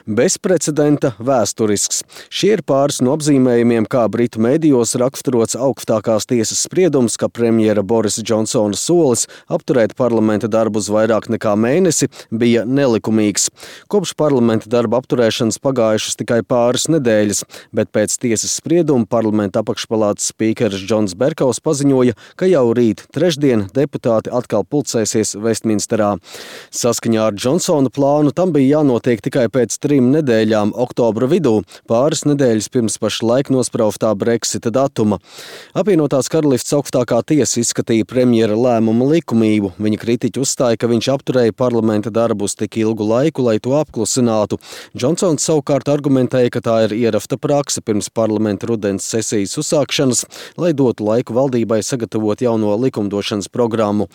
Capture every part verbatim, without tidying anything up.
Bezprecedenta, vēsturisks. Šie ir pāris no apzīmējumiem, kā britu mēdījos raksturots augstākās tiesas spriedums, ka premjera Borisa Džonsona solis apturēt parlamenta darbu uz vairāk nekā mēnesi bija nelikumīgs. Kopš parlamenta darba apturēšanas pagājušas tikai pāris nedēļas, bet pēc tiesas sprieduma parlamenta apakšpalātas spīkeris Džons Berkaus paziņoja, ka jau rīt trešdien deputāti atkal pulcēsies Vestminsterā. Saskaņā ar Džonsona plānu tam bija jānotiek tikai pēc trim nedēļām oktobra vidū, pāris nedēļas pirms pašlaik nosprauftā Brexita datuma. Apvienotās karalists augstākā tiesa izskatīja premjera lēmumu likumību. Viņa kritiķi uzstāja, ka viņš apturēja parlamenta darbu uz tik ilgu laiku, lai to apklusinātu. Džonsons savukārt argumentēja, ka tā ir ierafta prakse pirms parlamenta rudens sesijas uzsākšanas, lai dotu laiku valdībai sagatavot jauno likumdošanas programmu.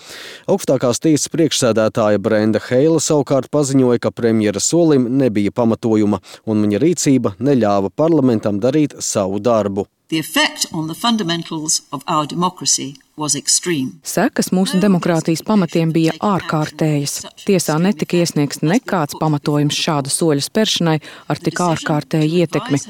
Augstākās tiesas priekšsēdētāja Brenda Heila savukārt paziņoja, ka premjera solim nebija pamatojuma, un viņa rīcība neļāva parlamentam darīt savu darbu. The effect on the fundamentals of our democracy was extreme. Sekas mūsu demokrātijas pamatiem bija ārkārtējas. Tiesā netika iesniegts nekāds pamatojums šāda soļa spēršanai ar tik ārkārtēju ietekmi.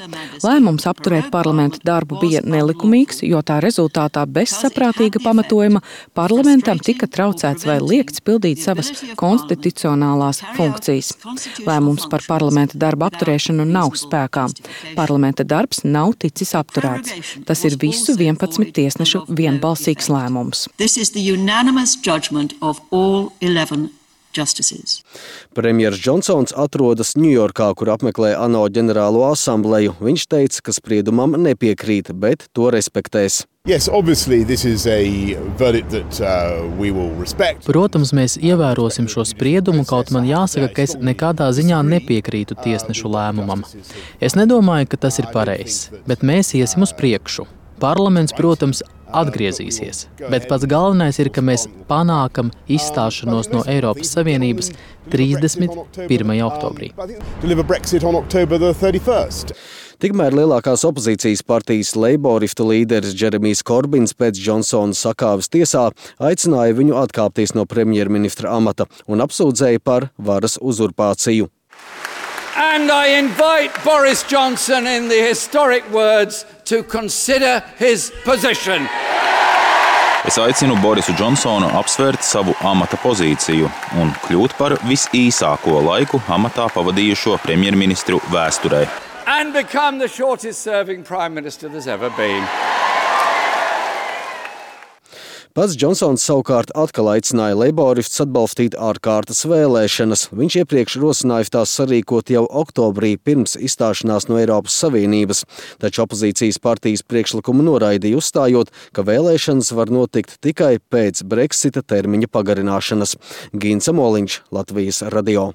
Lēmums apturēt parlamenta darbu bija nelikumīgs, jo tā rezultātā bez saprātīga pamatojuma parlamentam tika traucēts vai liekts pildīt savas konstitucionālās funkcijas. Lēmums par parlamenta darba apturēšanu nav spēkā. Parlamenta darbs nav ticis apturēts. Tas ir visu vienpadsmit tiesnešu vienbalsīgs lēmums. This is the unanimous judgment of all eleven justices. Premjers Džonsons atrodas Ņujorkā, kur apmeklē ANO ģenerālo asambleju. Viņš teica, ka spriedumam nepiekrīt, bet to respektēs. Yes, obviously this is a verdict that uh, we will respect. Protams, mēs ievērosim šo spriedumu, kaut man jāsaka, ka es nekādā ziņā nepiekrītu tiesnešu lēmumam. Es nedomāju, ka tas ir pareizs, bet mēs iesim uz priekšu. Parlaments, protams, atgriezīsies, bet pats galvenais ir, ka mēs panākam izstāšanos no Eiropas Savienības trīsdesmit pirmajā oktobrī. Tikmēr lielākās opozīcijas partijas leiboristu līderis Džeremijs Korbins pēc Džonsona sakāves tiesā aicināja viņu atkāpties no premjerministra amata un apsūdzēja par varas uzurpāciju. And I invite Boris Johnson in the historic words to consider his position. Es aicinu Borisu Džonsonu apsvērt savu amata pozīciju un kļūt par visīsāko laiku amatā pavadījušo premjerministru vēsturē. And become the shortest serving prime minister there's ever been. Pats Džonsons savukārt atkal aicināja leiboristus atbalstīt ārkārtas vēlēšanas. Viņš iepriekš rosināja tās sarīkot jau oktobrī pirms izstāšanās no Eiropas Savienības, taču opozīcijas partijas priekšlikumu noraidīja, uzstājot, ka vēlēšanas var notikt tikai pēc Brexita termiņa pagarināšanas. Gins Amoliņš, Latvijas radio.